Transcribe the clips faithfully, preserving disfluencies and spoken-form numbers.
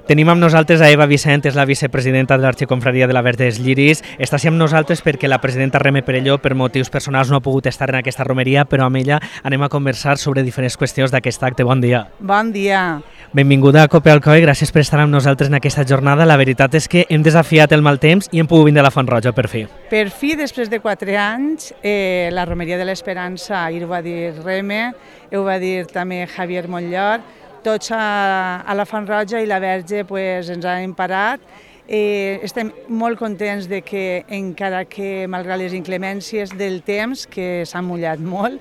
Tenim amb nosaltres a Eva Vicent, és la vicepresidenta de l'Arxiconfraria de la Verge dels Lliris. Està així amb nosaltres perquè la presidenta Reme Perelló, per motius personals, no ha pogut estar en aquesta romeria, però amb ella anem a conversar sobre diferents qüestions d'aquest acte. Bon dia. Bon dia. Benvinguda a Cope Alcoi, gràcies per estar amb nosaltres en aquesta jornada. La veritat és que hem desafiat el mal temps i hem pogut vindre a la Font Roja, per fi. Per fi, després de quatre anys, eh, la Romeria de l'Esperança, ahir ho va dir Reme, ho va dir també Javier Montllor, tots a, a la Font Roja i la Verge pues, ens han parat. Eh, estem molt contents de que, encara que, malgrat les inclemències del temps, que s'ha mullat molt,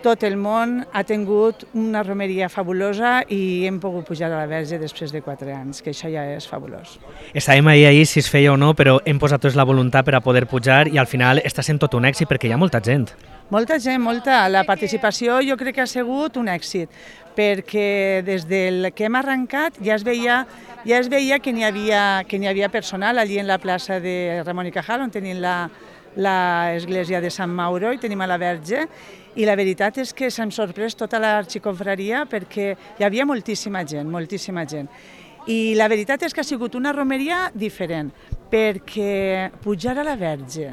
tot el món ha tingut una romeria fabulosa i hem pogut pujar a la Verge després de quatre anys, que això ja és fabulós. Estàvem ahir ahir si es feia o no, però hem posat tots la voluntat per a poder pujar i al final està sent tot un èxit perquè hi ha molta gent. Molta gent, molta. La participació jo crec que ha sigut un èxit, perquè des del que hem arrencat ja es veia, ja es veia que n'hi havia, que n'hi havia personal allí en la plaça de Ramon i Cajal, on tenim la, l'església de Sant Mauro i tenim a la Verge, i la veritat és que s'han sorprès tota l'arxiconfraria perquè hi havia moltíssima gent, moltíssima gent. I la veritat és que ha sigut una romeria diferent, perquè pujar a la Verge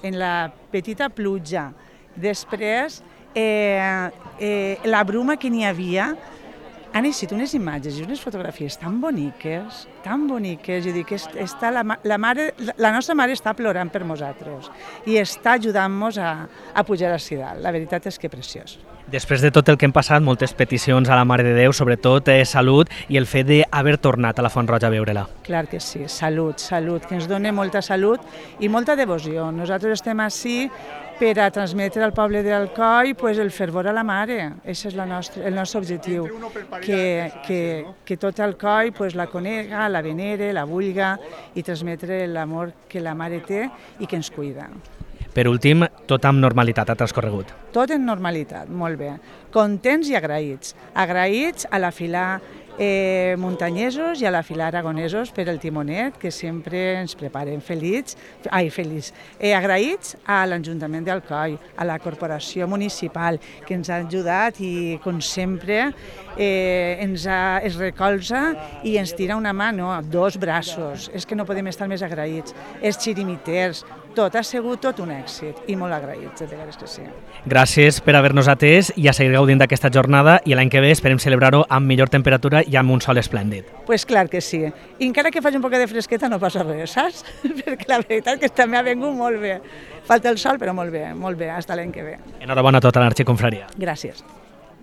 en la petita pluja, després eh, eh, la bruma que n'hi havia, han eixit unes imatges i unes fotografies tan boniques, tan boniques, jo dic, està la, la, mare, la nostra mare està plorant per nosaltres i està ajudant-nos a, a pujar a Sidal. La veritat és que preciós. Després de tot el que hem passat, moltes peticions a la Mare de Déu, sobretot eh, salut i el fet d'haver tornat a la Font Roja a veure-la. Clar que sí, salut, salut, que ens doni molta salut i molta devoció. Nosaltres estem ací per a transmetre al poble d'Alcoi pues, el fervor a la Mare. Aquest és la nostra, el nostre objectiu, que, que, que tot Alcoi pues, la conega, la venere, la vulga i transmetre l'amor que la Mare té i que ens cuida. Per últim, tot amb normalitat ha transcorregut. Tot en normalitat, molt bé. Contents i agraïts. Agraïts a la fila eh, muntanyesos i a la fila aragonesos per el timonet, que sempre ens preparen feliç, ai, feliç. Eh, agraïts a l'Ajuntament d'Alcoi, a la Corporació Municipal, que ens ha ajudat i, com sempre, eh, ens ha, es recolza i ens tira una mà, no, dos braços. És que no podem estar més agraïts. Els xirimiters, tot ha sigut tot un èxit i molt agraïts, de veres que sí. Gràcies per haver-nos atès i a seguir gaudint d'aquesta jornada i l'any que ve esperem celebrar-ho amb millor temperatura i amb un sol esplèndid. Pues clar que sí. I encara que faci un poc de fresqueta no passa res, saps? Perquè la veritat és que també ha vingut molt bé. Falta el sol, però molt bé, molt bé, fins l'any que ve. Enhorabona a tota l'Arxiconfraria. Gràcies.